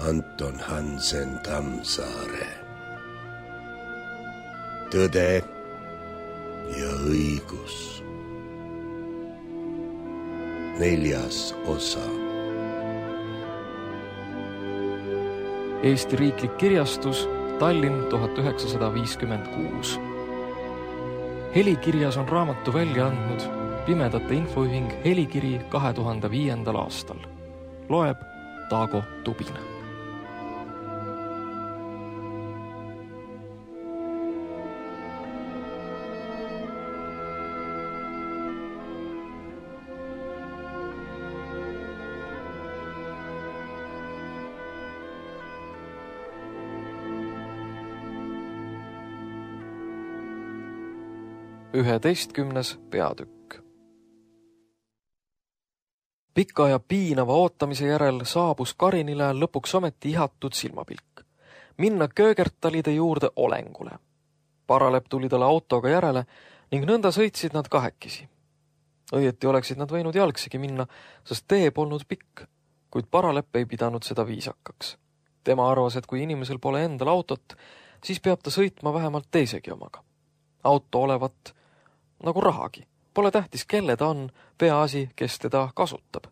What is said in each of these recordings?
Anton Hansen Tammsaare. Tõde ja õigus. 4. osa. Eesti Riiklik Kirjastus, Tallinn 1956. Helikirjas on raamatu välja andnud Pimedate Infoühing Helikiri 2005. aastal. Loeb Taago Tubine. Üheteistkümnes peatükk. Pika ja piinava ootamise järel saabus Karinile lõpuks ometi ihatud silmapilk. Minna Köögertalide juurde olengule. Paralepp tuli talle autoga järele ning nõnda sõitsid nad kahekesi. Õieti oleksid nad võinud jalgsigi minna, sest tee polnud pikk, kuid Paralepp ei pidanud seda viisakaks. Tema arvas, et kui inimesel pole endal autot, siis peab ta sõitma vähemalt teisegi omaga. Auto olevat nagu rahagi. Pole tähtis, kelle ta on, peaasi, kes teda kasutab.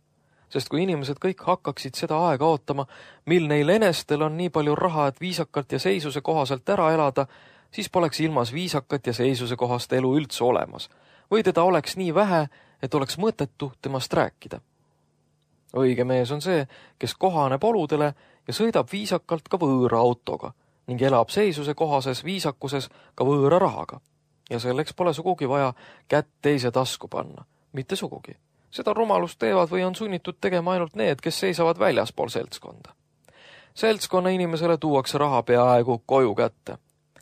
Sest kui inimesed kõik hakkaksid seda aega ootama, mil neil enestel on nii palju raha, et viisakalt ja seisuse kohaselt ära elada, siis poleks ilmas viisakat ja seisuse kohast elu üldse olemas. Või teda oleks nii vähe, et oleks mõttetu temast rääkida. Õige mees on see, kes kohaneb oludele ja sõidab viisakalt ka võõra autoga ning elab seisuse kohases viisakuses ka võõra rahaga. Ja selleks pole sugugi vaja kätt teise tasku panna. Mitte sugugi. Seda rumalust teevad või on sunnitud tegema ainult need, kes seisavad väljaspool seltskonda. Seltskonna inimesele tuuakse raha peaaegu koju kätte.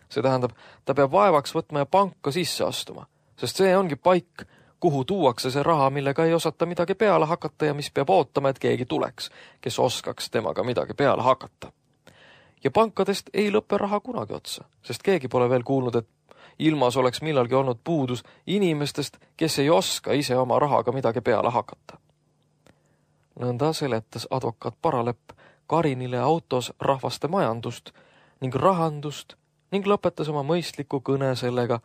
See tähendab, ta peab vaevaks võtma ja panka sisse astuma, sest see ongi paik, kuhu tuuakse see raha, millega ei osata midagi peale hakata ja mis peab ootama, et keegi tuleks, kes oskaks temaga midagi peale hakata. Ja pankadest ei lõppe raha kunagi otsa, sest keegi pole veel kuulnud, et ilmas oleks millalgi olnud puudus inimestest, kes ei oska ise oma rahaga midagi peale hakata. Nõnda seletas advokaat Paralepp Karinile autos rahvaste majandust ning rahandust ning lõpetas oma mõistliku kõne sellega,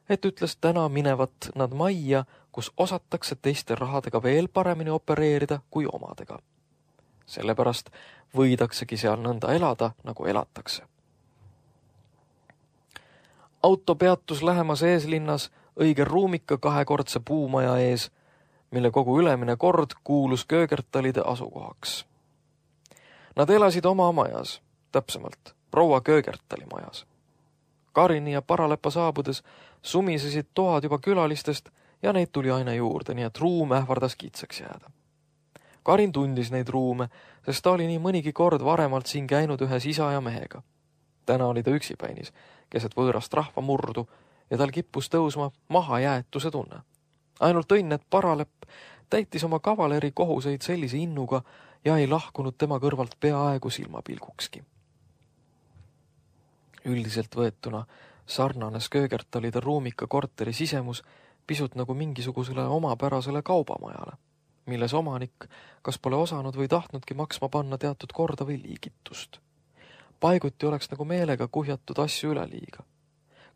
et ütles täna minevat nad majja, kus osatakse teiste rahadega veel paremini opereerida kui omadega. Sellepärast võidaksegi seal nõnda elada, nagu elatakse. Auto peatus lähemas eeslinnas õige ruumika kahekordse puumaja ees, mille kogu ülemine kord kuulus Köögertalide asukohaks. Nad elasid oma majas, täpsemalt proua Köögertali majas. Karini ja Paralepa saabudes sumisesid toad juba külalistest ja neid tuli aina juurde, nii et ruum ähvardas kitsaks jääda. Karin tundis neid ruume, sest ta oli nii mõnigi kord varemalt siin käinud ühes isa ja mehega. Täna oli ta üksipäinis, keset võõrast rahva murdu ja tal kippus tõusma mahajäetuse tunne. Ainult õnn, et Paralepp täitis oma kavaleri kohuseid sellise innuga ja ei lahkunud tema kõrvalt peaaegu silmapilgukski. Üldiselt võetuna sarnanes Köögertalide ruumika korteri sisemus pisut nagu mingisugusele omapärasele kaubamajale, milles omanik kas pole osanud või tahtnudki maksma panna teatud korda või liigitust. Paiguti oleks nagu meelega kuhjatud asju üle liiga.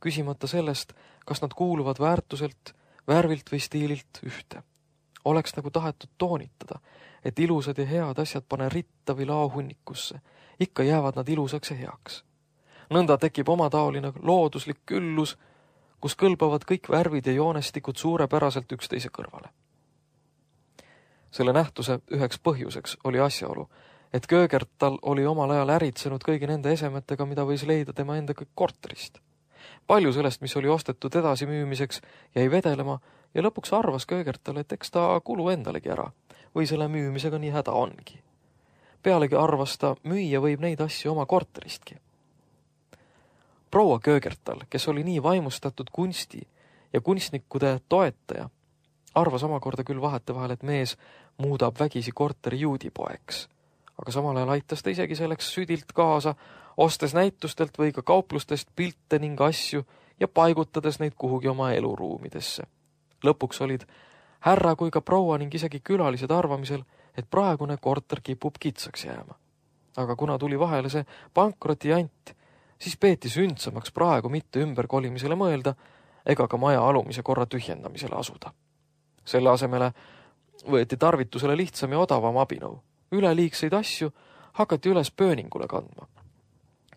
Küsimata sellest, kas nad kuuluvad väärtuselt, värvilt või stiililt ühte. Oleks nagu tahetud toonitada, et ilusad ja head asjad pane ritta või laohunnikusse. Ikka jäävad nad ilusaks ja heaks. Nõnda tekib omataoline looduslik küllus, kus kõlbavad kõik värvid ja joonestikud suurepäraselt üksteise kõrvale. Selle nähtuse üheks põhjuseks oli asjaolu, et Köögertal oli omal ajal äritsenud kõigi nende esemetega, mida võis leida tema enda kõik korterist. Palju sellest, mis oli ostetud edasi müümiseks, jäi vedelema ja lõpuks arvas Köögertal, et eks ta kulu endalegi ära või selle müümisega nii häda ongi. Pealegi arvas ta, müüa võib neid asju oma korteristki. Proua Köögertal, kes oli nii vaimustatud kunsti ja kunstnikude toetaja, arvas omakorda küll vahetevahel, et mees muudab vägisi korteri juudipoeks. Aga samal ajal aitas ta isegi selleks südilt kaasa, ostes näitustelt või ka kauplustest pilte ning asju ja paigutades neid kuhugi oma eluruumidesse. Lõpuks olid härra kui ka proua ning isegi külalised arvamisel, et praegune korter kipub kitsaks jääma. aga kuna tuli vahele see pankrotijant, siis peeti sündsamaks praegu mitte ümberkolimisele mõelda ega ka maja alumise korra tühjendamisele asuda. Selle asemele võeti tarvitusele lihtsam ja odavam abinõu. Üleliigseid asju hakati üles pööningule kandma,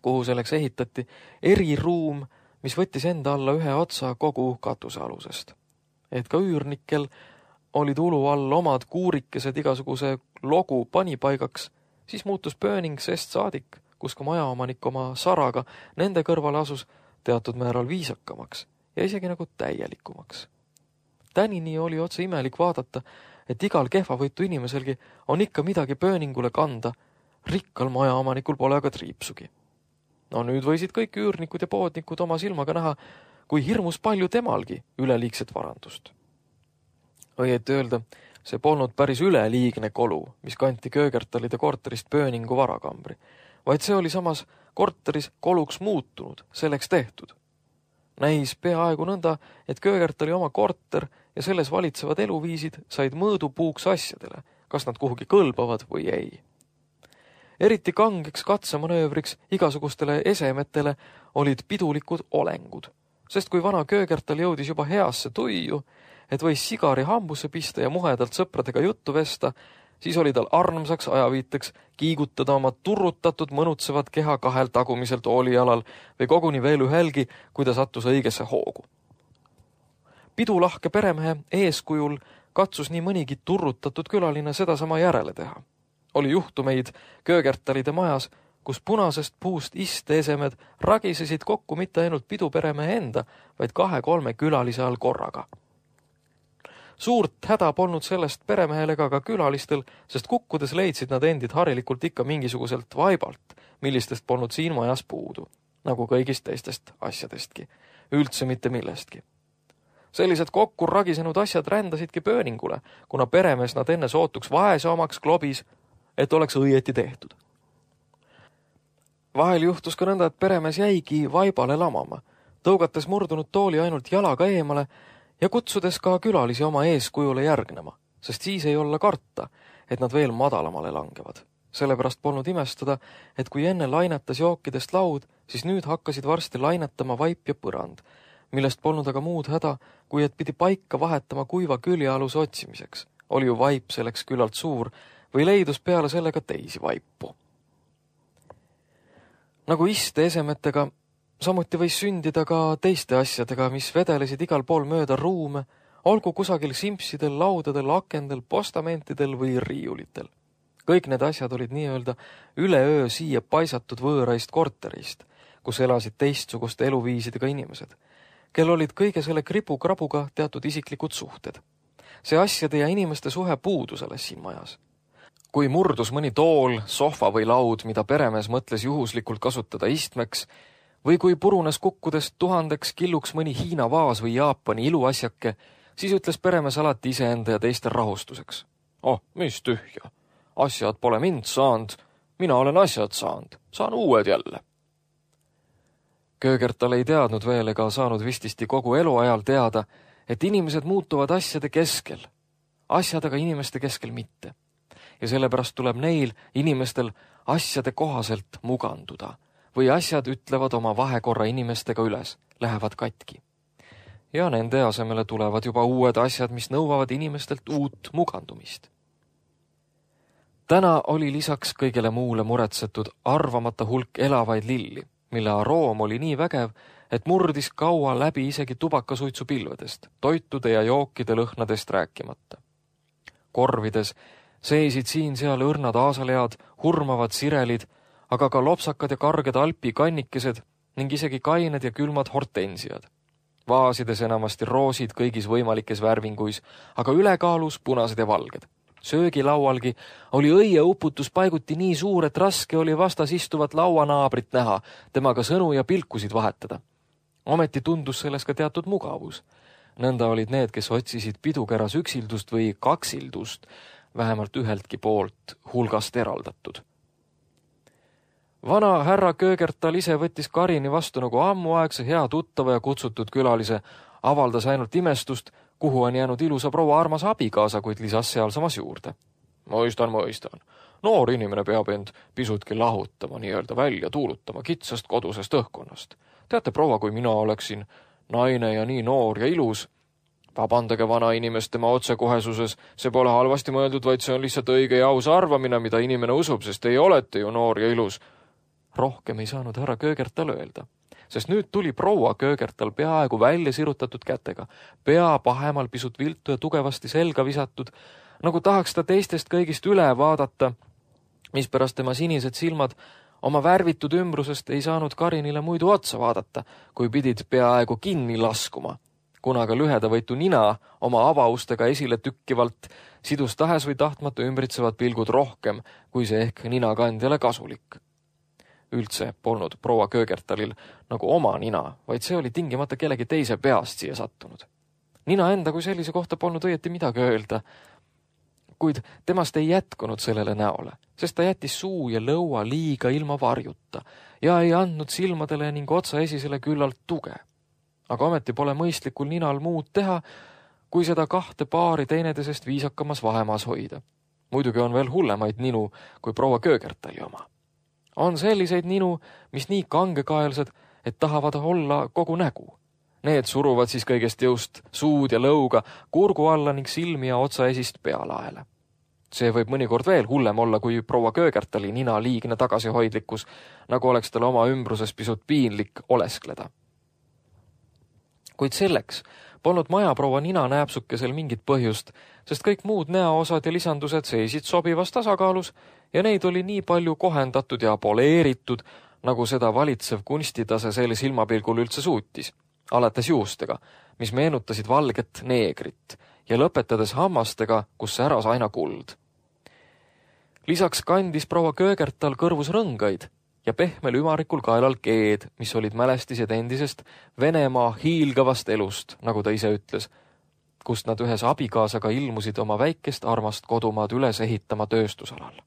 kuhu selleks ehitati eriruum, mis võttis enda alla ühe otsa kogu katuse alusest. Et ka üürnikel olid ulu all omad kuurikesed igasuguse logu panipaigaks, siis muutus pööning sest saadik, kus ka majaomanik oma saraga nende kõrvale asus teatud määral viisakamaks ja isegi nagu täielikumaks. Tänini oli otse imelik vaadata, et igal kehvavõitu inimeselgi on ikka midagi pööningule kanda, rikkal majaomanikul pole aga triipsugi. No nüüd võisid kõik üürnikud ja poodnikud oma silmaga näha, kui hirmus palju temalgi üleliigset varandust. Õieti öelda, see polnud päris üleliigne kolu, mis kanti Köögertalide korterist pööningu varakambri, vaid see oli samas korteris koluks muutunud, selleks tehtud. Näis peaaegu nõnda, et Köögertali oma korter ja selles valitsevad eluviisid said mõõdupuuks asjadele, kas nad kuhugi kõlbavad või ei. Eriti kangeks katsemanöövriks igasugustele esemetele olid pidulikud olengud, sest kui vana Köögertal jõudis juba heasse tuiu, et võis sigari hambusse pista ja muhedalt sõpradega juttu vesta, siis oli tal armsaks ajaviiteks kiigutada oma turrutatud mõnutsevat keha kahel tagumiselt oolijalal või koguni veel ühelgi, kui ta sattus õigesse hoogu. Pidulahke peremehe eeskujul katsus nii mõnigi turrutatud külaline sedasama järele teha. Oli juhtumeid Köögertalide majas, kus punasest puust isteesemed ragisesid kokku mitte ainult piduperemehe enda, vaid 2-3 külalise all korraga. Suurt häda polnud sellest peremehel ega ka külalistel, sest kukkudes leidsid nad endid harilikult ikka mingisuguselt vaibalt, millistest polnud siin majas puudu, nagu kõigist teistest asjadestki, üldse mitte millestki. Sellised kokku ragisenud asjad rändasidki pööningule, kuna peremees nad enne sootuks vaese omaks klobis, et oleks õieti tehtud. Vahel juhtus ka nõnda, et peremees jäigi vaibale lamama, tõugates murdunud tooli ainult jalaga eemale ja kutsudes ka külalisi oma eeskujule järgnema, sest siis ei olla karta, et nad veel madalamale langevad. Sellepärast polnud imestada, et kui enne lainetas jookidest laud, siis nüüd hakkasid varsti lainetama vaip ja põrand, millest polnud aga muud häda, kui et pidi paika vahetama kuiva küljealuse otsimiseks. Oli ju vaip selleks küllalt suur või leidus peale sellega teisi vaipu. Nagu iste esemetega, samuti võis sündida ka teiste asjadega, mis vedelesid igal pool mööda ruume, olgu kusagil simpsidel, laudadel, akendel, postamentidel või riiulitel. Kõik need asjad olid nii-öelda üleöö siia paisatud võõraist korterist, kus elasid teistsuguste eluviisidega inimesed, kel olid kõige selle kribu-krabuga teatud isiklikud suhted. See asjade ja inimeste suhe puudus alles siin majas. Kui murdus mõni tool, sohva või laud, mida peremees mõtles juhuslikult kasutada istmeks, või kui purunes kukkudest 1000 killuks mõni Hiina vaas või Jaapani iluasjake, siis ütles peremees alati iseenda ja teiste rahustuseks. Oh, mis tühja. Asjad pole mind saanud, mina olen asjad saanud, saan uued jälle. Köögertal ei teadnud veel ega saanud vististi kogu eluajal teada, et inimesed muutuvad asjade keskel, asjad aga inimeste keskel mitte. Ja sellepärast tuleb neil inimestel asjade kohaselt muganduda või asjad ütlevad oma vahekorra inimestega üles, lähevad katki. Ja nende asemele tulevad juba uued asjad, mis nõuavad inimestelt uut mugandumist. Täna oli lisaks kõigele muule muretsetud arvamata hulk elavaid lilli, mille aroom oli nii vägev, et murdis kaua läbi isegi tubakasuitsu pilvedest, toitude ja jookide lõhnadest rääkimata. Korvides seisid siin-seal õrnad aasalead, hurmavad sirelid, aga ka lopsakad ja karged alpikannikesed ning isegi kained ja külmad hortensiad. Vaasides enamasti roosid kõigis võimalikes värvinguis, aga ülekaalus punased ja valged. Söögilaualgi oli õieuputus paiguti nii suur, et raske oli vastas istuvat lauanaabrit näha, temaga sõnu ja pilkusid vahetada. Ometi tundus selles ka teatud mugavus. Nõnda olid need, kes otsisid pidukeras üksildust või kaksildust, vähemalt üheltki poolt hulgast eraldatud. Vana härra Köögertal ise võttis Karini vastu nagu ammuaegse hea tuttava ja kutsutud külalise, avaldas ainult imestust, kuhu on jäänud ilusa proua armas abikaasa, kuid lisas sealsamas juurde. Mõistan. Noor inimene peab end pisutki lahutama, nii-öelda välja tuulutama kitsast kodusest õhkkonnast. Teate, proua, kui mina oleksin naine ja nii noor ja ilus, vabandage vana inimest tema otsekohesuses, see pole halvasti mõeldud, vaid see on lihtsalt õige ja aus arvamine, mida inimene usub, sest teie olete ju noor ja ilus. Rohkem ei saanud härra Köögertal öelda, sest nüüd tuli proua Köögertal peaaegu välja sirutatud kätega, pea pahemal pisut viltu ja tugevasti selga visatud, nagu tahaks ta teistest kõigist üle vaadata, mispärast tema sinised silmad oma värvitud ümbrusest ei saanud Karinile muidu otsa vaadata, kui pidid peaaegu kinni laskuma. Kuna ka lühedavõitu nina oma avaustega esile tükkivalt sidus tahes või tahtmata ümbritsevad pilgud rohkem, kui see ehk ninakandjale kasulik. Üldse polnud proua Köögertalil nagu oma nina, vaid see oli tingimata kellegi teise peast siia sattunud. Nina enda kui sellise kohta polnud õieti midagi öelda, kuid temast ei jätkunud sellele näole, sest ta jättis suu ja lõua liiga ilma varjuta ja ei andnud silmadele ning otsaesisele küllalt tuge. Aga ometi pole mõistlikul ninal muud teha, kui seda kahte paari teineteisest viisakamas vahemaas hoida. Muidugi on veel hullemaid ninu kui proua Köögertali oma. On selliseid ninu, mis nii kangekaelsed, et tahavad olla kogu nägu. Need suruvad siis kõigest jõust suud ja lõuga kurgu alla ning silmi ja otsaesist pealaele. See võib mõnikord veel hullem olla kui proua Köögertali nina liigne tagasihoidlikkus, nagu oleks tal oma ümbruses pisut piinlik oleskleda. Kuid selleks polnud majaproua nina näepsukesel mingit põhjust, sest kõik muud näoosad ja lisandused seisid sobivas tasakaalus ja neid oli nii palju kohendatud ja poleeritud, nagu seda valitsev kunstitase selle silmapilgul üldse suutis, alates juustega, mis meenutasid valget neegrit ja lõpetades hammastega, kus säras aina kuld. Lisaks kandis proua Köögertal kõrvus rõngaid ja pehmel ümarikul kaelal keed, mis olid mälestised endisest Venemaa hiilgavast elust, nagu ta ise ütles, kust nad ühes abikaasaga ilmusid oma väikest armast kodumaad üles ehitama tööstusalal.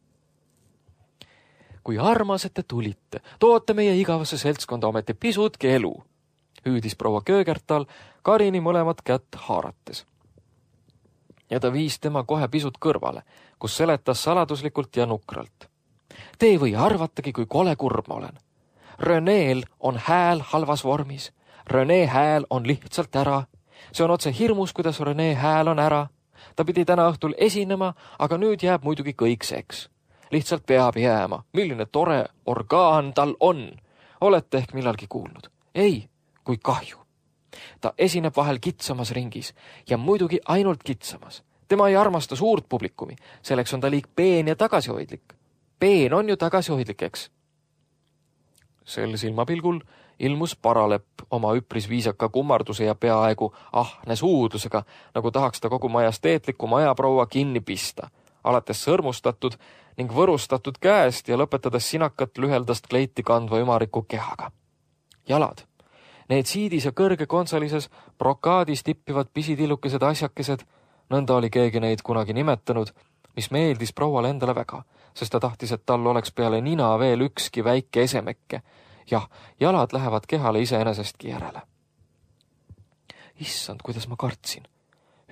Kui armas, et te tulite, toote meie igavasse seltskonda ometi pisutki elu, hüüdis proua Köögertal Karini mõlemat kätt haarates. Ja ta viis tema kohe pisut kõrvale, kus seletas saladuslikult ja nukralt. Te ei või arvatagi, kui kole kurb ma olen. Reneel on hääl halvas vormis. Rene hääl on lihtsalt ära. See on otse hirmus, kuidas Rene hääl on ära. Ta pidi täna õhtul esinema, aga nüüd jääb muidugi kõik seks. Lihtsalt peab jääma. Milline tore orgaan tal on. Olete ehk millalgi kuulnud? Ei, kui kahju. Ta esineb vahel kitsamas ringis ja muidugi ainult kitsamas. Tema ei armasta suurt publikumi. Selleks on ta liig peen ja tagasihoidlik. Peen on ju tagasihoidlik, eks? Sel silmapilgul ilmus Paralepp oma üpris viisaka kummarduse ja peaaegu ahne suudlusega, nagu tahaks ta kogu majesteetliku majaproua kinni pista, alates sõrmustatud ning võrustatud käest ja lõpetades sinakat lüheldast kleiti kandva ümariku kehaga. Jalad. Need siidis ja kõrge kontsalises brokaadis tippivad pisitillukesed asjakesed, nõnda oli keegi neid kunagi nimetanud, mis meeldis prouale endale väga, sest ta tahtis, et tal oleks peale nina veel ükski väike esemekke. Jah, jalad lähevad kehale iseenesestki järele. Issand, kuidas ma kartsin,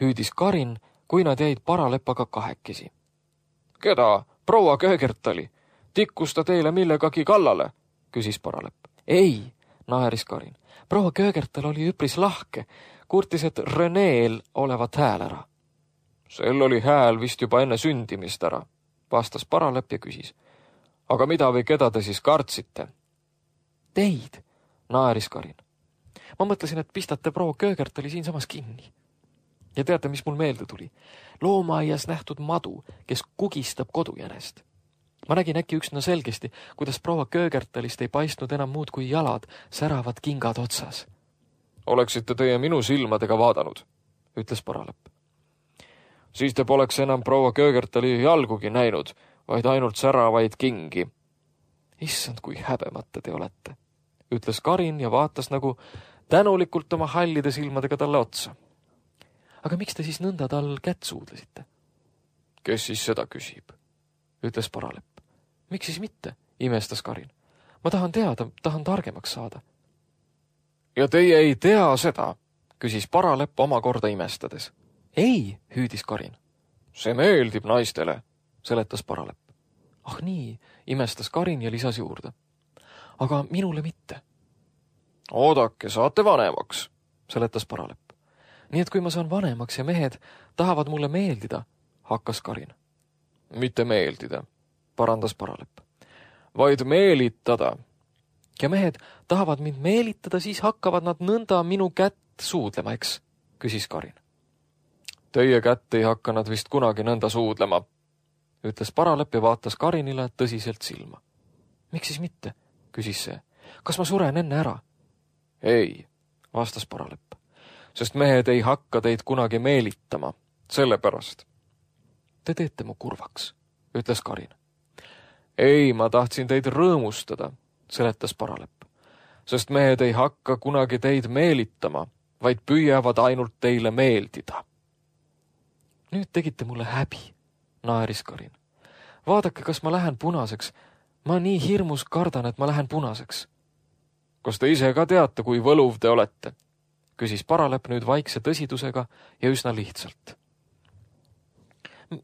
hüüdis Karin, kui nad jäid Paralepaga kahekesi. Keda? Proua Köögertali? Tikkus ta teile millegagi kallale? Küsis Paralepp. Ei, naeris Karin. Proua Köögertal oli üpris lahke, kurtis, et Reneel olevat hääl ära. Sel oli hääl vist juba enne sündimist ära, vastas Paralepp ja küsis. Aga mida või keda te siis kartsite? Teid, naeris Karin. Ma mõtlesin, et pistate proua Köögertali siinsamas kinni. Ja teate, mis mul meelde tuli? Loomaaias nähtud madu, kes kugistab kodujänest. Ma nägin äkki üksna selgesti, kuidas proua Köögertalist ei paistnud enam muud kui jalad, säravad kingad otsas. Oleksite teie minu silmadega vaadanud, ütles Paralepp. Siis te poleks enam proua Köögertali jalgugi näinud, vaid ainult säravaid kingi. Issand, kui häbemata te olete, ütles Karin ja vaatas nagu tänulikult oma hallide silmadega talle otsa. Aga miks te siis nõnda tal kätt suudlesite? Kes siis seda küsib, ütles Paralepp. Miks siis mitte, imestas Karin. Ma tahan teada, tahan targemaks saada. Ja teie ei tea seda, küsis Paralepp omakorda imestades. Ei, hüüdis Karin. See meeldib naistele, seletas Paralepp. Ah nii, imestas Karin ja lisas juurde. Aga minule mitte. Oodake, saate vanemaks, seletas Paralepp. Nii et kui ma saan vanemaks ja mehed tahavad mulle meeldida, hakkas Karin. Mitte meeldida, parandas Paralepp, vaid meelitada. Ja mehed tahavad mind meelitada, siis hakkavad nad nõnda minu kätt suudlema, eks, küsis Karin. Teie kätt ei hakka nad vist kunagi nõnda suudlema, ütles Paralepp ja vaatas Karinile tõsiselt silma. Miks siis mitte, küsis see. Kas ma suren enne ära? Ei, vastas Paralepp, sest mehed ei hakka teid kunagi meelitama, sellepärast. Te teete mu kurvaks, ütles Karin. Ei, ma tahtsin teid rõõmustada, seletas Paralepp, sest mehed ei hakka kunagi teid meelitama, vaid püüavad ainult teile meeldida. Nüüd tegite mulle häbi, naeris Karin. Vaadake, kas ma lähen punaseks. Ma nii hirmus kardan, et ma lähen punaseks. Kas te ise ka teate, kui võluv te olete? Küsis Paralepp nüüd vaikse tõsidusega ja üsna lihtsalt.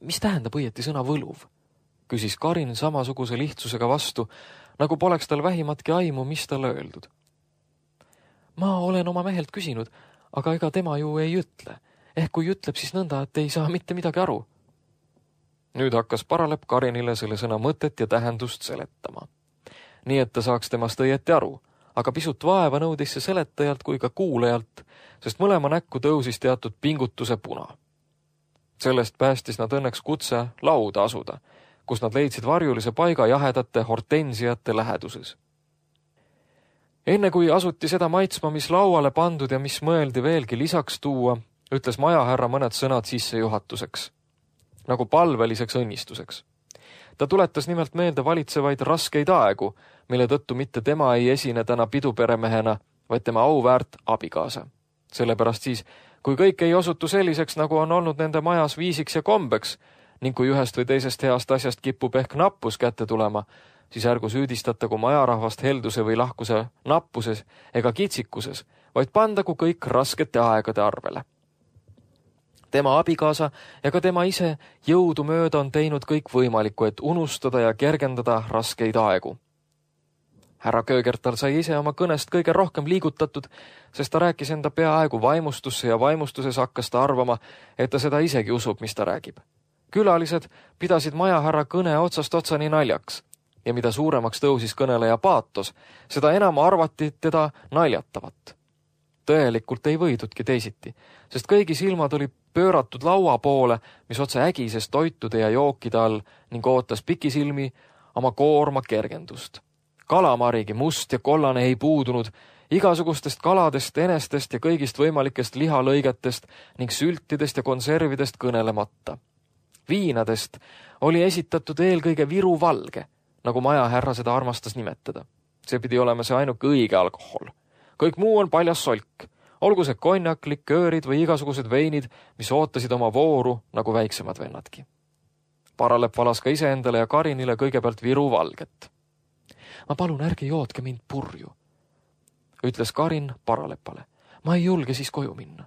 Mis tähendab õieti sõna võluv? Küsis Karin samasuguse lihtsusega vastu, nagu poleks tal vähimatki aimu, mis talle öeldud. Ma olen oma mehelt küsinud, aga ega tema ju ei ütle. Ehk kui ütleb, siis nõnda, et ei saa mitte midagi aru. Nüüd hakkas Paralepp Karinile selle sõna mõtet ja tähendust seletama. Nii et ta saaks temast õieti aru, aga pisut vaeva nõudis see seletajalt kui ka kuulajalt, sest mõlema näkku tõusis teatud pingutuse puna. Sellest päästis nad õnneks kutse lauda asuda, kus nad leidsid varjulise paiga jahedate hortensiate läheduses. Enne kui asuti seda maitsma, mis lauale pandud ja mis mõeldi veelgi lisaks tuua, ütles majahärra mõned sõnad sissejuhatuseks, nagu palveliseks õnnistuseks. Ta tuletas nimelt meelde valitsevaid raskeid aegu, mille tõttu mitte tema ei esine täna piduperemehena, vaid tema auväärt abikaasa. Sellepärast siis, kui kõik ei osutu selliseks, nagu on olnud nende majas viisiks ja kombeks, ning kui ühest või teisest heast asjast kipub ehk nappus kätte tulema, siis ärgu süüdistatagu majarahvast helduse või lahkuse nappuses ega kitsikuses, vaid pandagu kõik raskete aegade arvele. Tema abikaasa ja ka tema ise jõudu mööda on teinud kõik võimalikku, et unustada ja kergendada raskeid aegu. Härra Köögertal sai ise oma kõnest kõige rohkem liigutatud, sest ta rääkis enda peaaegu vaimustusse ja vaimustuses hakkas ta arvama, et ta seda isegi usub, mis ta räägib. Külalised pidasid majahärra kõne otsast otsani naljaks ja mida suuremaks tõusis kõneleja paatos, seda enam arvati teda naljatavat. Tõelikult ei võidudki teisiti, sest kõigi silmad oli pööratud laua poole, mis otse ägises toitude ja jookide all ning ootas pikisilmi oma koorma kergendust. Kalamarigi must ja kollane ei puudunud, igasugustest kaladest, enestest ja kõigist võimalikest lihalõigetest ning sültidest ja konservidest kõnelemata. Viinadest oli esitatud eelkõige Viru valge, nagu majahärra seda armastas nimetada. See pidi olema see ainuke õige alkohol. Kõik muu on paljas solk, olgu see konjak, liköörid või igasugused veinid, mis ootasid oma vooru nagu väiksemad vennadki. Paralepp valas ka iseendale ja Karinile kõigepealt Viru valget. Ma palun, ärge joodke mind purju, ütles Karin Paraleppale. Ma ei julge siis koju minna.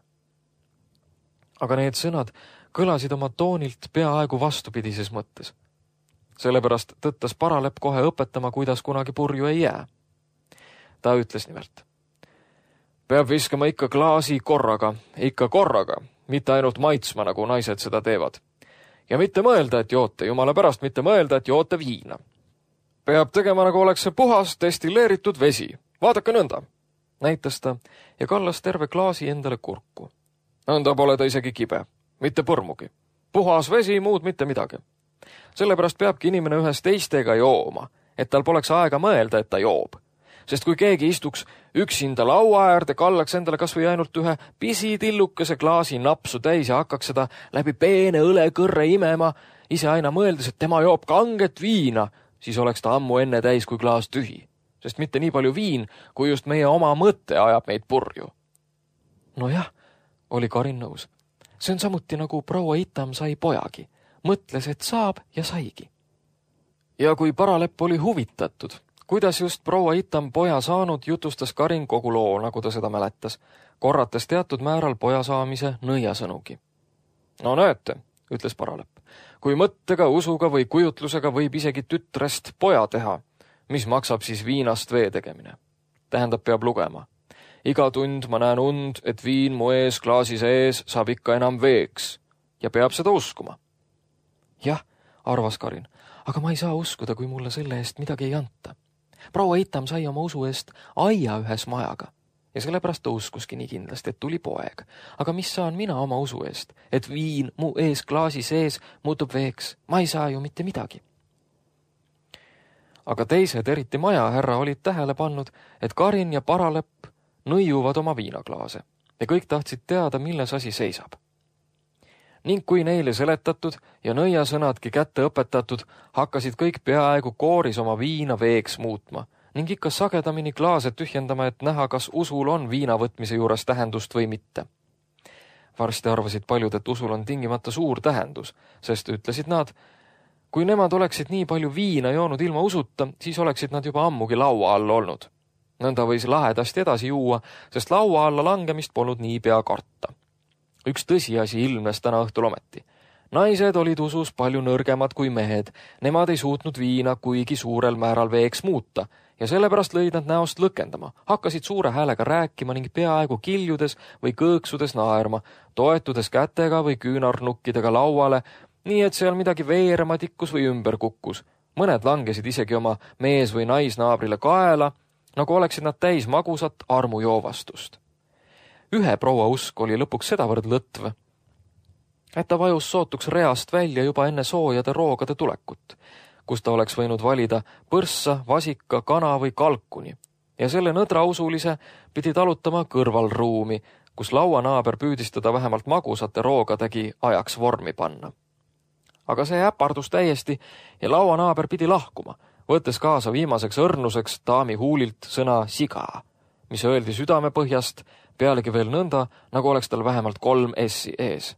Aga need sõnad kõlasid oma toonilt peaaegu vastupidises mõttes. Sellepärast tõttas Paralepp kohe õpetama, kuidas kunagi purju ei jää. Ta ütles nimelt. Peab viskama ikka klaasi korraga, mitte ainult maitsma, nagu naised seda teevad. Ja mitte mõelda, et joote, jumala pärast mitte mõelda, et joote viina. Peab tegema, nagu oleks see puhas destilleeritud vesi. Vaadake nõnda, näitas ta ja kallas terve klaasi endale kurku. Nõnda pole ta isegi kibe, mitte põrmugi. Puhas vesi, muud mitte midagi. Sellepärast peabki inimene ühes teistega jooma, et tal poleks aega mõelda, et ta joob. Sest kui keegi istuks üksinda laua äärde, kallaks endale kas või ainult ühe pisitillukese klaasi napsu täis ja hakkaks seda läbi peene õlekõrre imema, ise aina mõeldes, et tema joob kanget viina, siis oleks ta ammu enne täis kui klaas tühi. Sest mitte nii palju viin, kui just meie oma mõte ajab meid purju. Nojah, oli Karin nõus. See on samuti nagu proua Itam sai pojagi. Mõtles, et saab ja saigi. Ja kui Paralepp oli huvitatud, kuidas just proua Itam poja saanud, jutustas Karin kogu loo, nagu ta seda mäletas, korrates teatud määral poja saamise nõiasõnugi. No näete, ütles Paralepp. Kui mõttega, usuga või kujutlusega võib isegi tütrest poja teha, mis maksab siis viinast vee tegemine? Tähendab, peab lugema. Iga tund ma näen und, et viin mu ees klaasi sees saab ikka enam veeks ja peab seda uskuma. Jah, arvas Karin, aga ma ei saa uskuda, kui mulle selle eest midagi ei anta. Proua Eitam sai oma usu eest aia ühes majaga ja sellepärast ta uskuski nii kindlasti, et tuli poeg. Aga mis saan mina oma usu eest, et viin mu ees klaasi sees muutub veeks? Ma ei saa ju mitte midagi. Aga teised, eriti majahärra, olid tähele pannud, et Karin ja Paralepp nõiuvad oma viinaklaase ja kõik tahtsid teada, milles asi seisab. Ning kui neile seletatud ja nõiasõnadki kätte õpetatud, hakkasid kõik peaaegu kooris oma viina veeks muutma ning ikka sagedamini klaase tühjendama, et näha, kas usul on viina võtmise juures tähendust või mitte. Varsti arvasid paljud, et usul on tingimata suur tähendus, sest ütlesid nad, kui nemad oleksid nii palju viina joonud ilma usuta, siis oleksid nad juba ammugi laua all olnud. Nõnda võis lahedasti edasi juua, sest laua alla langemist polnud nii pea karta. Üks tõsiasi ilmnes täna õhtul ometi. Naised olid usus palju nõrgemad kui mehed, nemad ei suutnud viina kuigi suurel määral veeks muuta ja sellepärast lõid nad näost lõkendama, hakkasid suure häälega rääkima ning peaaegu kiljudes või kõõksudes naerma, toetudes kätega või küünarnukkidega lauale, nii et seal midagi veerema tikkus või ümber kukkus. Mõned langesid isegi oma mees- või naisnaabrile kaela, nagu oleksid nad täis magusat armujoovastust. Ühe proua usk oli lõpuks sedavõrd lõtv, et ta vajus sootuks reast välja juba enne soojade roogade tulekut, kus ta oleks võinud valida põrssa, vasika, kana või kalkuni ja selle nõdra usulise pidi talutama kõrvalruumi, kus lauanaaber püüdis teda vähemalt magusate roogadegi ajaks vormi panna. Aga see äpardus täiesti ja lauanaaber pidi lahkuma, võttes kaasa viimaseks õrnuseks daami huulilt sõna siga, mis öeldi südamepõhjast, pealegi veel nõnda, nagu oleks tal vähemalt 3 S-i ees.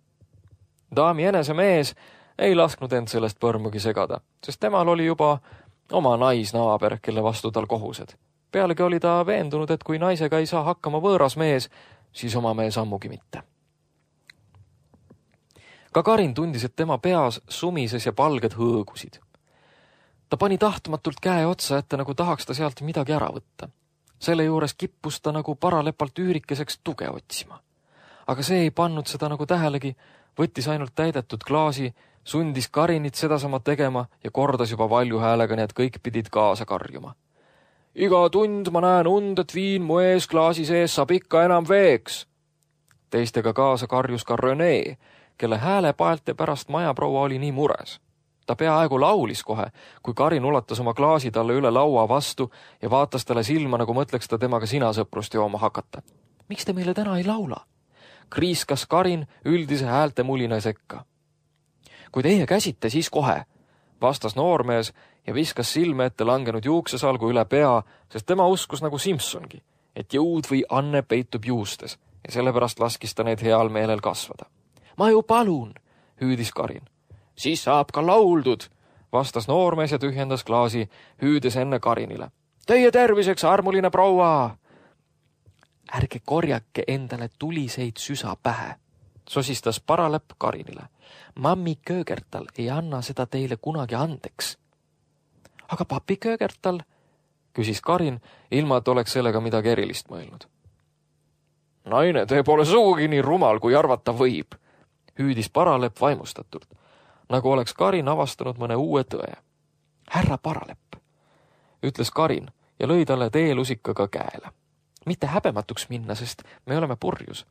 Daami enese mees ei lasknud end sellest põrmugi segada, sest temal oli juba oma naisnaaber, kelle vastu tal kohused. Pealegi oli ta veendunud, et kui naisega ei saa hakkama võõras mees, siis oma mees ammugi mitte. Ka Karin tundis, et tema peas sumises ja palged hõõgusid. Ta pani tahtmatult käe otsa ette, nagu tahaks ta sealt midagi ära võtta. Selle juures kippus ta nagu Paralepalt üürikeseks tuge otsima. Aga see ei pannud seda nagu tähelegi, võttis ainult täidetud klaasi, sundis Karinit sedasama tegema ja kordas juba valju häälega, nii et kõik pidid kaasa karjuma. Iga tund ma näen und, et viin mu ees klaasi sees saab ikka enam veeks. Teistega kaasa karjus ka René, kelle häälepaelte pärast majaproua oli nii mures. Ta peaaegu laulis kohe, kui Karin ulatas oma klaasi talle üle laua vastu ja vaatas talle silma, nagu mõtleks ta temaga sinasõprust jooma hakata. Miks te meile täna ei laula? Kriiskas Karin üldise häälte mulina sekka. Kui teie käsite, siis kohe, vastas noormees ja viskas silme ette langenud juuksesalgu üle pea, sest tema uskus nagu Simsongi, et jõud või anne peitub juustes ja sellepärast laskis ta neid heal meelel kasvada. Ma ju palun, hüüdis Karin. Siis saab ka lauldud, vastas noormees ja tühjendas klaasi, hüüdes enne Karinile. Teie terviseks, armuline proua! Ärge korjake endale tuliseid süsa pähe, sosistas Paralepp Karinile. Mammi Köögertal ei anna seda teile kunagi andeks. Aga papi Köögertal, küsis Karin, ilma et oleks sellega midagi erilist mõelnud. Naine, te pole sugugi nii rumal, kui arvata võib, hüüdis Paralepp vaimustatult, nagu oleks Karin avastanud mõne uue tõe. Härra Paralepp, ütles Karin ja lõi talle teelusikaga käele. Mitte häbematuks minna, sest me oleme purjus.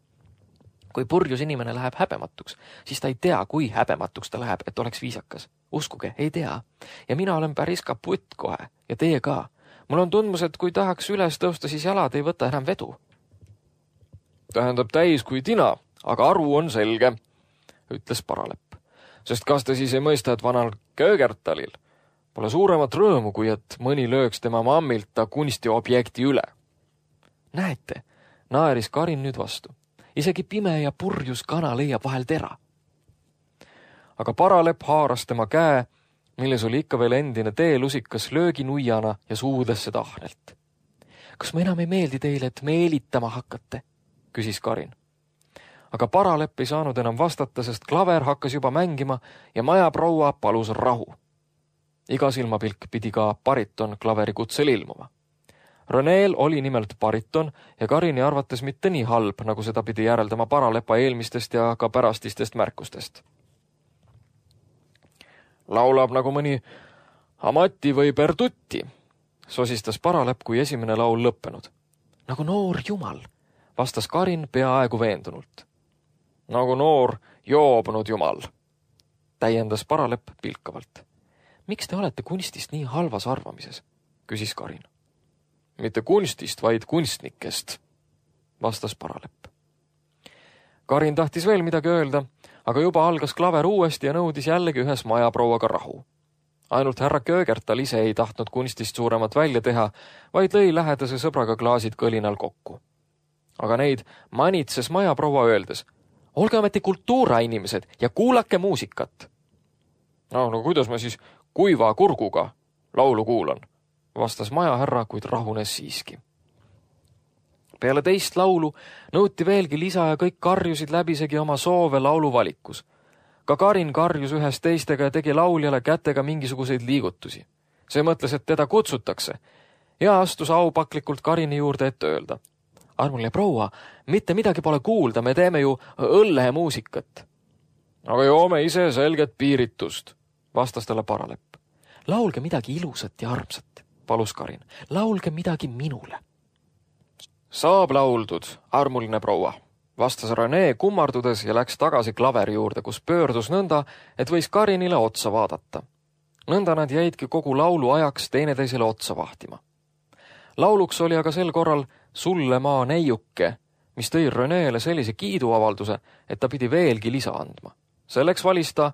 Kui purjus inimene läheb häbematuks, siis ta ei tea, kui häbematuks ta läheb, et oleks viisakas. Uskuge, ei tea. Ja mina olen päris kaputt kohe ja teie ka. Mul on tundmus, et kui tahaks üles tõusta, siis jalad ei võta enam vedu. Tähendab täis kui tina, aga aru on selge, ütles Paralepp. Sest kas te siis ei mõista, et vanal Köögertalil pole suuremat rõõmu, kui et mõni lööks tema mammilt ta kunstiobjekti üle? Näete, naeris Karin nüüd vastu. Isegi pime ja purjus kana leiab vahel tera. Aga Paralepp haaras tema käe, milles oli ikka veel endine teelusikas lööginuiana ja suudes seda ahnelt. Kas ma enam ei meeldi teile, et meelitama hakkate? Küsis Karin. aga paralepp ei saanud enam vastata, sest klaver hakkas juba mängima ja majaproua palus rahu. Iga silmapilk pidi ka bariton klaveri kutsel ilmuma. Reneel oli nimelt bariton ja Karini arvates mitte nii halb, nagu seda pidi järeldama paralepa eelmistest ja ka pärastistest märkustest. Laulab nagu mõni Amati või Bertutti, sosistas paralepp, kui esimene laul lõppenud. Nagu noor jumal, vastas Karin peaaegu veendunult. Nagu noor joobnud jumal, täiendas paralepp pilkavalt. Miks te olete kunstist nii halvas arvamises, küsis Karin. Mitte kunstist, vaid kunstnikest, vastas paralepp. Karin tahtis veel midagi öelda, aga juba algas klaver uuesti ja nõudis jällegi ühes majaprouaga rahu. Ainult härra Köögertal ise ei tahtnud kunstist suuremat välja teha, vaid lõi lähedase sõbraga klaasid kõlinal kokku. Aga neid manitses majaproua öeldes, olge ometi kultuurainimesed ja kuulake muusikat. No kuidas ma siis kuiva kurguga laulu kuulan, vastas majahärra, kuid rahunes siiski. Peale teist laulu nõuti veelgi lisa ja kõik karjusid läbisegi oma soove laulu valikus. Ka Karin karjus ühes teistega ja tegi lauljale kätega mingisuguseid liigutusi. See mõtles, et teda kutsutakse ja astus aupaklikult Karini juurde ette öelda. Armuline proua, mitte midagi pole kuulda, me teeme ju õllemuusikat. Aga joome ise selget piiritust, vastas talle paralepp. Laulge midagi ilusat ja armsat, palus Karin. Laulge midagi minule. Saab lauldud, armuline proua, vastas Rene kummardudes ja läks tagasi klaveri juurde, kus pöördus nõnda, et võis Karinile otsa vaadata. Nõnda nad jäidki kogu laulu ajaks teineteisele otsa vahtima. Lauluks oli aga sel korral Sulle maa neiuke, mis tõi Reneele sellise kiiduavalduse, et ta pidi veelgi lisa andma. Selleks valis ta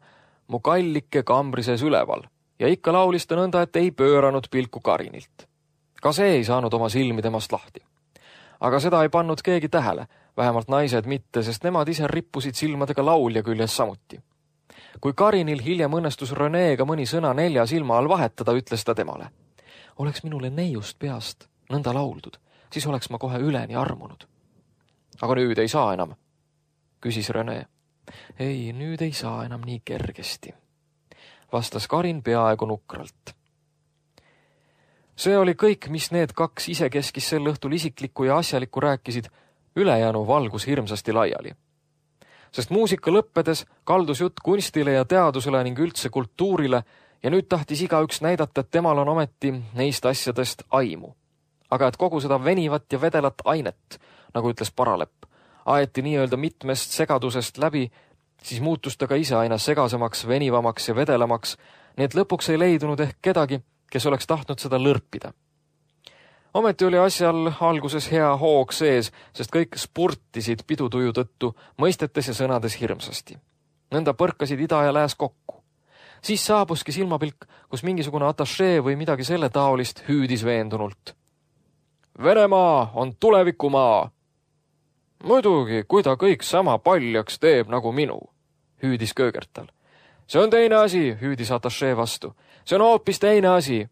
Mu kallike kambri sees üleval ja ikka laulis ta nõnda, et ei pööranud pilku Karinilt. Ka see ei saanud oma silmi temast lahti. Aga seda ei pannud keegi tähele, vähemalt naised mitte, sest nemad ise rippusid silmadega laulja küljes samuti. Kui Karinil hiljem õnnestus Reneega mõni sõna 4 silma all vahetada, ütles ta temale. Oleks minule neiust peast nõnda lauldud, siis oleks ma kohe üleni armunud. Aga nüüd ei saa enam, küsis Rene. Ei, nüüd ei saa enam nii kergesti, vastas Karin peaaegu nukralt. See oli kõik, mis need kaks isekeskis sel õhtul isiklikku ja asjalikku rääkisid, ülejäänu valgus hirmsasti laiali. Sest muusika lõppedes kaldus jutt kunstile ja teadusele ning üldse kultuurile ja nüüd tahtis igaüks näidata, et temal on ometi neist asjadest aimu. Aga et kogu seda venivat ja vedelat ainet, nagu ütles paralepp, aeti nii-öelda mitmest segadusest läbi, siis muutus ta ka ise aina segasemaks, venivamaks ja vedelamaks, nii et lõpuks ei leidunud ehk kedagi, kes oleks tahtnud seda lõrpida. Ometi oli asjal alguses hea hoog sees, sest kõik spurtisid pidutuju tõttu, mõistetes ja sõnades hirmsasti. Nõnda põrkasid ida ja lääs kokku. Siis saabuski silmapilk, kus mingisugune atašee või midagi selle taolist hüüdis veendunult. Venemaa on tulevikumaa. Muidugi, kui ta kõik sama paljaks teeb nagu minu, hüüdis Köögertal. See on teine asi, hüüdis atašee vastu. See on hoopis teine asi.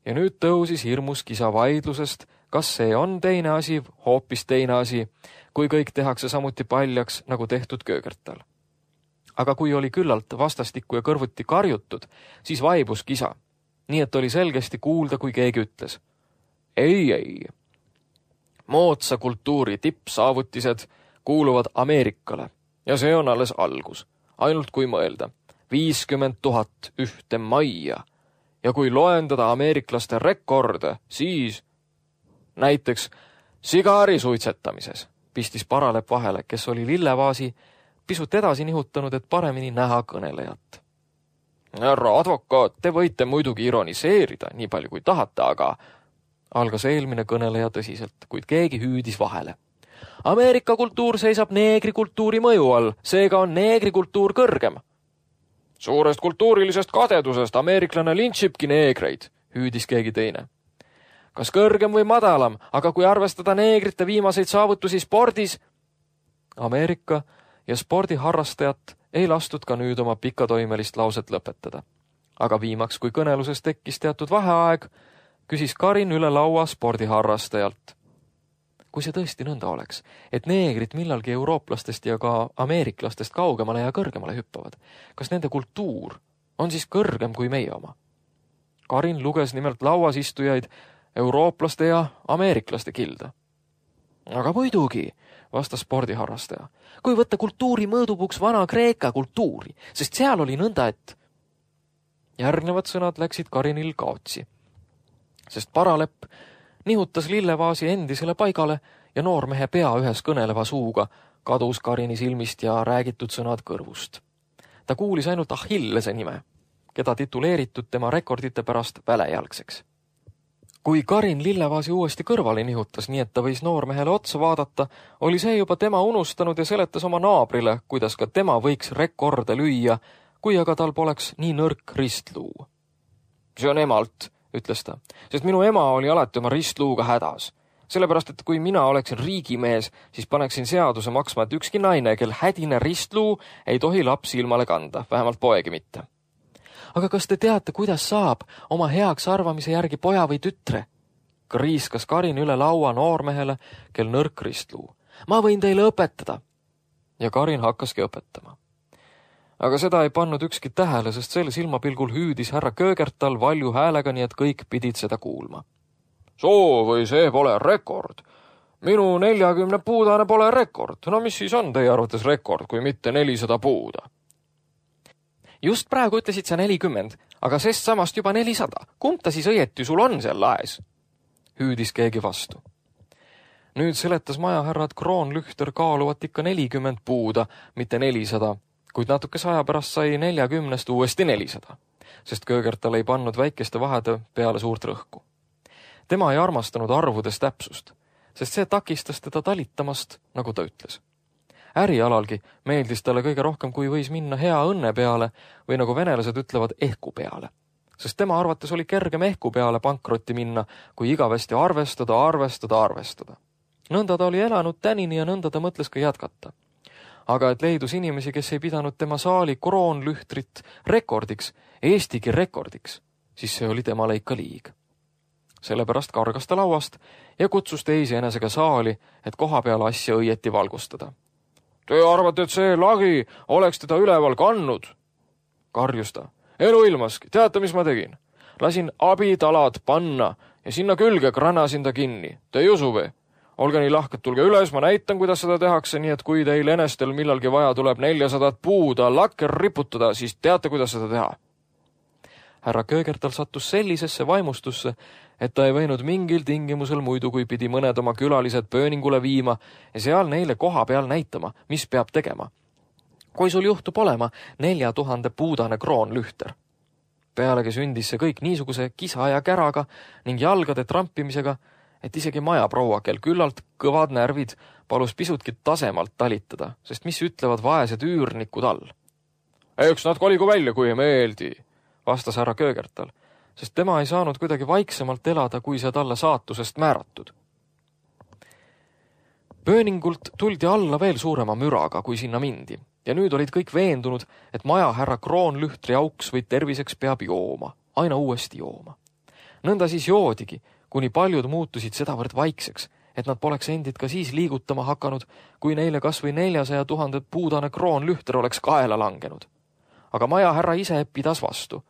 Ja nüüd tõusis hirmus kisa vaidlusest, kas see on teine asi, hoopis teine asi, kui kõik tehakse samuti paljaks, nagu tehtud Köögertal. Aga kui oli küllalt vastastikku ja kõrvuti karjutud, siis vaibus kisa. Nii et oli selgesti kuulda, kui keegi ütles. Ei. Moodsa kultuuri tippsaavutised kuuluvad Ameerikale ja see on alles algus. Ainult kui mõelda. 50 000 ühte majja. Ja kui loendada ameeriklaste rekorde, siis näiteks sigari suitsetamises, pistis paralepp vahele, kes oli lillevaasi pisut edasi nihutanud, et paremini näha kõnelejat. Härra advokaat, te võite muidugi ironiseerida, nii palju kui tahate, aga algas eelmine kõneleja tõsiselt, kuid keegi hüüdis vahele. Ameerika kultuur seisab neegrikultuuri mõju all, seega on neegrikultuur kõrgem. Suurest kultuurilisest kadedusest ameeriklane lintšibki neegreid, hüüdis keegi teine. Kas kõrgem või madalam, aga kui arvestada neegrite viimaseid saavutusi spordis? Ameerika ja spordiharrastajat ei lastud ka nüüd oma pikatoimelist lauset lõpetada. Aga viimaks, kui kõneluses tekkis teatud vaheaeg, küsis Karin üle laua spordiharrastajalt. kui see tõesti nõnda oleks, et neegrid millalgi eurooplastest ja ka ameeriklastest kaugemale ja kõrgemale hüppavad, kas nende kultuur on siis kõrgem kui meie oma? Karin luges nimelt lauas istujaid eurooplaste ja ameeriklaste kilda. Aga muidugi, vastas spordiharrastaja, kui võtta kultuuri mõõdupuks vana Kreeka kultuuri, sest seal oli nõnda, et... Järgnevad sõnad läksid Karinil kaotsi, sest paralepp nihutas lillevaasi endisele paigale ja noormehe pea ühes kõneleva suuga kadus Karini silmist ja räägitud sõnad kõrvust. Ta kuulis ainult Achillese nime, keda tituleeritud tema rekordite pärast välejalgseks. Kui Karin lillevaasi uuesti kõrvale nihutas, nii et ta võis noormehele otsa vaadata, oli see juba tema unustanud ja seletas oma naabrile, kuidas ka tema võiks rekorde lüüa, kui aga tal poleks nii nõrk ristluu. See on emalt, ütles ta, sest minu ema oli alati oma ristluuga hädas. Sellepärast, et kui mina oleksin riigimees, siis paneksin seaduse maksma, et ükski naine, kel hädine ristluu, ei tohi lapsi ilmale kanda, vähemalt poegi mitte. Aga kas te teate, kuidas saab oma heaks arvamise järgi poja või tütre? Kriiskas Karin üle laua noormehele, kel nõrk ristluu. Ma võin teile õpetada. Ja Karin hakkaski õpetama. Aga seda ei pannud ükski tähele, sest sel silmapilgul hüüdis härra Köögertal valju häälega, nii et kõik pidid seda kuulma. Soo või see pole rekord. Minu 40 puudane pole rekord. No mis siis on teie arvates rekord, kui mitte 400 puuda? Just praegu ütlesid sa 40, aga sest samast juba 400. Kumb ta siis õieti sul on seal laes? Hüüdis keegi vastu. Nüüd seletas majahärra, et kroonlühter kaaluvat ikka 40 puuda, mitte 400, kuid natuke aja pärast sai 40 uuesti 400, sest Köögertal ei pannud väikeste vahede peale suurt rõhku. Tema ei armastanud arvudes täpsust, sest see takistas teda talitamast, nagu ta ütles. Ärialalgi meeldis talle kõige rohkem, kui võis minna hea õnne peale või nagu venelased ütlevad ehku peale, sest tema arvates oli kergem ehku peale pankrotti minna, kui igavesti arvestada. Nõnda ta oli elanud tänini ja nõnda ta mõtles ka jätkata. Aga et leidus inimesi, kes ei pidanud tema saali kroonlühtrit rekordiks, Eestigi rekordiks, siis see oli temale ikka liig. Sellepärast kargas ta lauast ja kutsus teisi enesega saali, et koha peal asja õieti valgustada. Te arvate, et see lagi oleks teda üleval kannud? Karjus ta. Eluilmaski, teate, mis ma tegin? Lasin abitalad panna ja sinna külge kranasin ta kinni. Te ei usu või? Olge nii lahked, tulge üles, ma näitan, kuidas seda tehakse, nii et kui teil enestel millalgi vaja tuleb 400 puuda lakker riputada, siis teate, kuidas seda teha. Härra Köögertal sattus sellisesse vaimustusse, et ta ei võinud mingil tingimusel muidu, kui pidi mõned oma külalised pööningule viima ja seal neile koha peal näitama, mis peab tegema. Kui sul juhtub olema 4000 puudane kroonlühter. Pealegi sündis see kõik niisuguse kisa ja käraga ning jalgade trampimisega, et isegi majaproua, kel küllalt kõvad närvid, palus pisutki tasemalt talitada, sest mis ütlevad vaesed üürnikud all. Eks nad koligu välja, kui ei meeldi, vastas härra Köögertal, sest tema ei saanud kuidagi vaiksemalt elada, kui see talle saatusest määratud. Pööningult tuldi alla veel suurema müraga, kui sinna mindi, ja nüüd olid kõik veendunud, et majahärra kroonlühtri auks või terviseks peab jooma, aina uuesti jooma. Nõnda siis joodigi, kuni paljud muutusid sedavõrd vaikseks, et nad poleks endid ka siis liigutama hakanud, kui neile kas või 400 000 puudane kroonlühter oleks kaela langenud. Aga majahärra ise pidas vastu.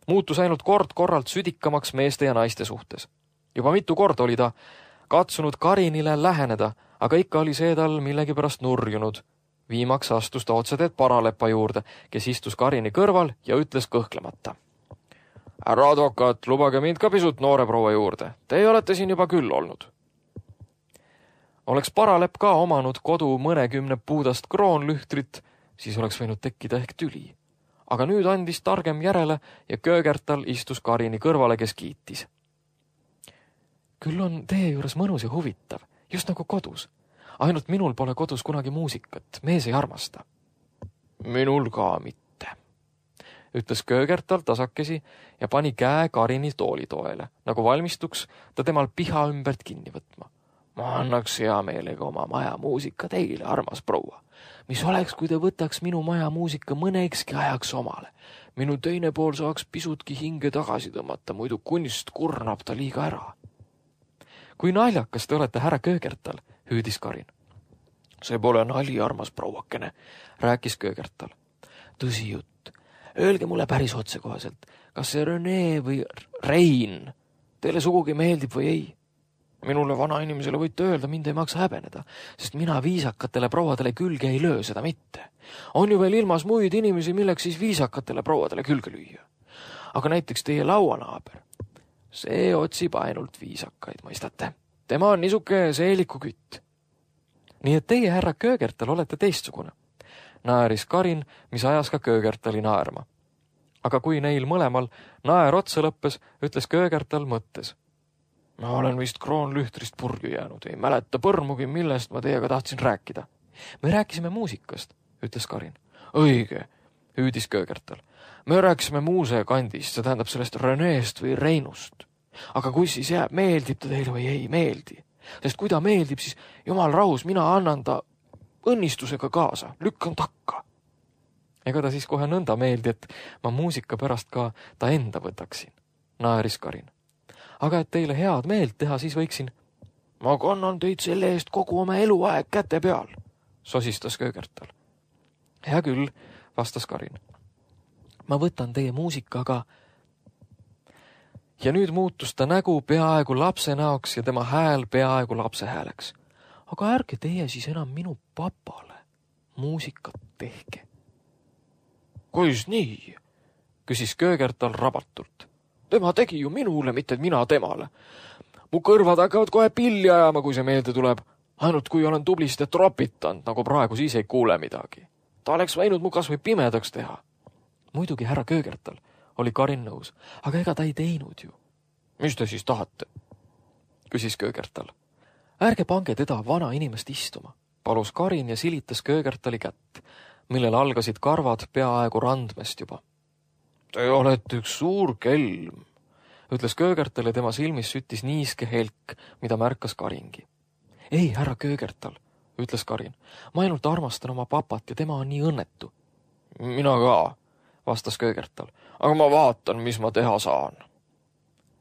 Muutus ainult kord-korralt südikamaks meeste ja naiste suhtes. Juba mitu korda oli ta katsunud Karinile läheneda, aga ikka oli see tal millegipärast nurjunud. Viimaks astus ta otseteed paralepa juurde, kes istus Karini kõrval ja ütles kõhklemata. Härra advokaat, lubage mind ka pisut noore proua juurde. Teie olete siin juba küll olnud. Oleks paralepp ka omanud kodu mõnekümne puudast kroonlühtrit, siis oleks võinud tekkida ehk tüli. Aga nüüd andis targem järele ja Köögertal istus Karini kõrvale, kes kiitis. Küll on teie juures mõnus ja huvitav, just nagu kodus. Ainult minul pole kodus kunagi muusikat, mees ei armasta. Minul ka mitte, ütles Köögertal tasakesi ja pani käe Karini toolitoele, nagu valmistuks ta temal piha ümbert kinni võtma. Ma annaks hea meelega oma maja muusika teile, armas proua. Mis oleks, kui te võtaks minu maja muusika mõnekski ajaks omale? Minu teine pool saaks pisutki hinge tagasi tõmmata, muidu kunst kurnab ta liiga ära. Kui naljakas te olete, härra Köögertal, hüüdis Karin. See pole nali, armas prouakene, rääkis Köögertal. Tõsi jutt. Öelge mulle päris otsekohaselt, kas see Rene või Rein teile sugugi meeldib või ei? Minule vana inimesele võite öelda, mind ei maksa häbeneda, sest mina viisakatele prouadele külge ei löö, seda mitte. On ju veel ilmas muid inimesi, milleks siis viisakatele prouadele külge lüüa. Aga näiteks teie lauanaaber. See otsib ainult viisakaid, mõistate. Tema on niisuke seeliku kütt. Nii et teie, härra Köögertal, olete teistsugune. Naeris Karin, mis ajas ka Köögertali naerma. Aga kui neil mõlemal naer otsa lõppes, ütles Köögertal mõttes. Ma olen vist kroonlühtrist purju jäänud, ei mäleta põrmugi, millest ma teiega tahtsin rääkida. Me rääkisime muusikast, ütles Karin. Õige, hüüdis Köögertal. Me rääkisime muusekandist, see tähendab sellest Reneest või Reinust. Aga kui siis jääb, meeldib ta teile või ei meeldi? Sest kui ta meeldib, siis jumal rahus, mina annan ta õnnistusega kaasa, lükkan takka. Ega ta siis kohe nõnda meeldi, et ma muusika pärast ka ta enda võtaksin, naeris Karin. Aga et teile head meelt teha, siis võiksin. Ma kannan teid selle eest kogu oma eluaeg käte peal, sosistas Köögertal. Hea küll, vastas Karin. Ma võtan teie muusikaga. Ja nüüd muutus ta nägu peaaegu lapse näoks ja tema hääl peaaegu lapse hääleks. Aga ärge teie siis enam minu papale muusikat tehke. Kuis nii? Küsis Köögertal rabatult. Tema tegi ju minule, mitte mina temale. Mu kõrvad hakkavad kohe pilli ajama, kui see meelde tuleb. Ainult kui olen tublisti tropitanud, nagu praegu, siis ei kuule midagi. Ta oleks võinud mu kas või pimedaks teha. Muidugi härra Köögertal, oli Karin nõus, aga ega ta ei teinud ju. Mis te siis tahate? Küsis Köögertal. Ärge pange teda vana inimest istuma, palus Karin ja silitas Köögertali kätt, millel algasid karvad peaaegu randmest juba. Te olete üks suur kelm, ütles Köögertal ja tema silmis süttis niiske helk, mida märkas Karingi. Ei, härra Köögertal, ütles Karin, ma ainult armastan oma papat ja tema on nii õnnetu. Mina ka, vastas Köögertal, aga ma vaatan, mis ma teha saan.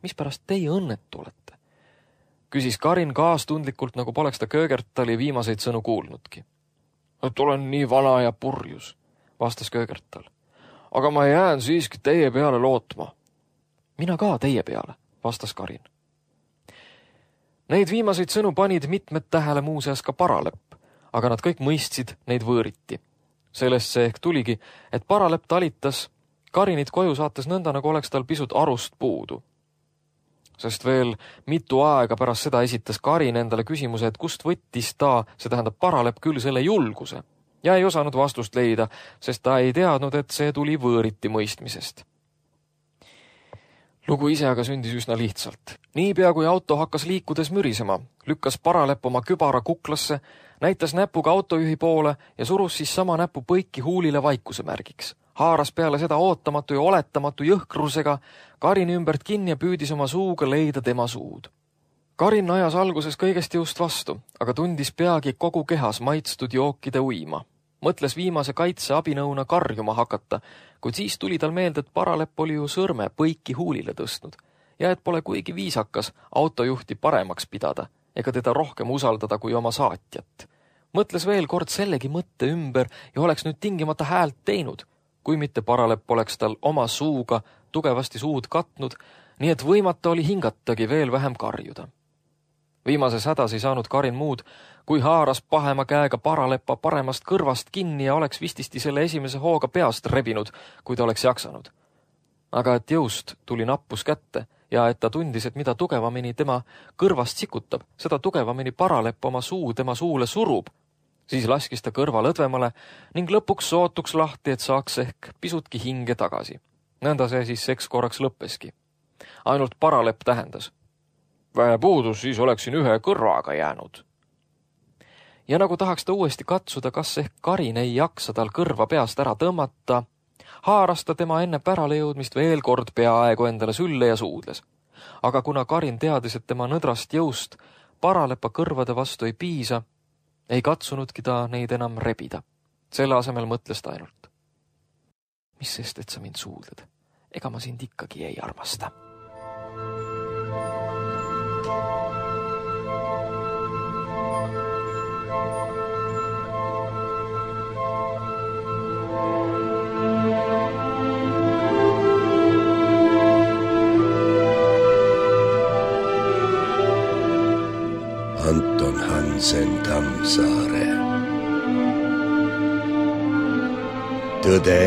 Mispärast teie õnnetu olete? Küsis Karin kaastundlikult, nagu poleks ta Köögertali viimaseid sõnu kuulnudki. Et olen nii vana ja purjus, vastas Köögertal. Aga ma jään siiski teie peale lootma. Mina ka teie peale, vastas Karin. Neid viimaseid sõnu panid mitmed tähele muuseas ka Paralepp, aga nad kõik mõistsid neid võõriti. Sellest see ehk tuligi, et Paralepp talitas Karinit koju saates nõnda, nagu oleks tal pisut arust puudu. Sest veel mitu aega pärast seda esitas Karin endale küsimuse, et kust võttis ta, see tähendab Paralepp küll selle julguse, ja ei osanud vastust leida, sest ta ei teadnud, et see tuli võõriti mõistmisest. Lugu ise aga sündis üsna lihtsalt. Niipea kui auto hakkas liikudes mürisema, lükkas Paralepp oma kübara kuklasse, näitas näpuga autojuhi poole ja surus siis sama näpu põiki huulile vaikuse märgiks. Haaras peale seda ootamatu ja oletamatu jõhkrusega Karini ümbert kinni ja püüdis oma suuga leida tema suud. Karin ajas alguses kõigest jõust vastu, aga tundis peagi kogu kehas maitstud jookide uima. Mõtles viimase kaitse abinõuna karjuma hakata, kuid siis tuli tal meelde, et Paralepp oli ju sõrme põiki huulile tõstnud ja et pole kuigi viisakas autojuhti paremaks pidada ega teda rohkem usaldada kui oma saatjat. Mõtles veel kord sellegi mõtte ümber ja oleks nüüd tingimata häält teinud, kui mitte Paralepp oleks tal oma suuga tugevasti suud katnud, nii et võimata oli hingatagi veel vähem karjuda. Viimases hädas ei saanud Karin muud, kui haaras pahema käega Paraleppa paremast kõrvast kinni ja oleks vististi selle esimese hooga peast rebinud, kui ta oleks jaksanud. Aga et jõust tuli nappus kätte ja et ta tundis, et mida tugevamini tema kõrvast sikutab, seda tugevamini Paralepp oma suu tema suule surub, siis laskis ta kõrva lõdvemale ning lõpuks sootuks lahti, et saaks ehk pisutki hinge tagasi. Nõnda see siis seks korraks lõppeski. Ainult Paralepp tähendas. Vähe puudus, siis oleksin ühe kõrvaga jäänud. Ja nagu tahaks ta uuesti katsuda, kas ehk Karin ei jaksa tal kõrva peast ära tõmmata, haaras ta tema enne pärale jõudmist veel kord peaaegu endale sülle ja suudles. Aga kuna Karin teadis, et tema nõdrast jõust Paralepa kõrvade vastu ei piisa, ei katsunudki ta neid enam rebida. Selle asemel mõtles ta ainult. Mis sest, et sa mind suudled? Ega ma sind ikkagi ei armasta. Anton Hansen Tammsaare. Tõde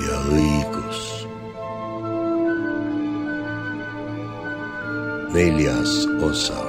ja õigus. 4. osa.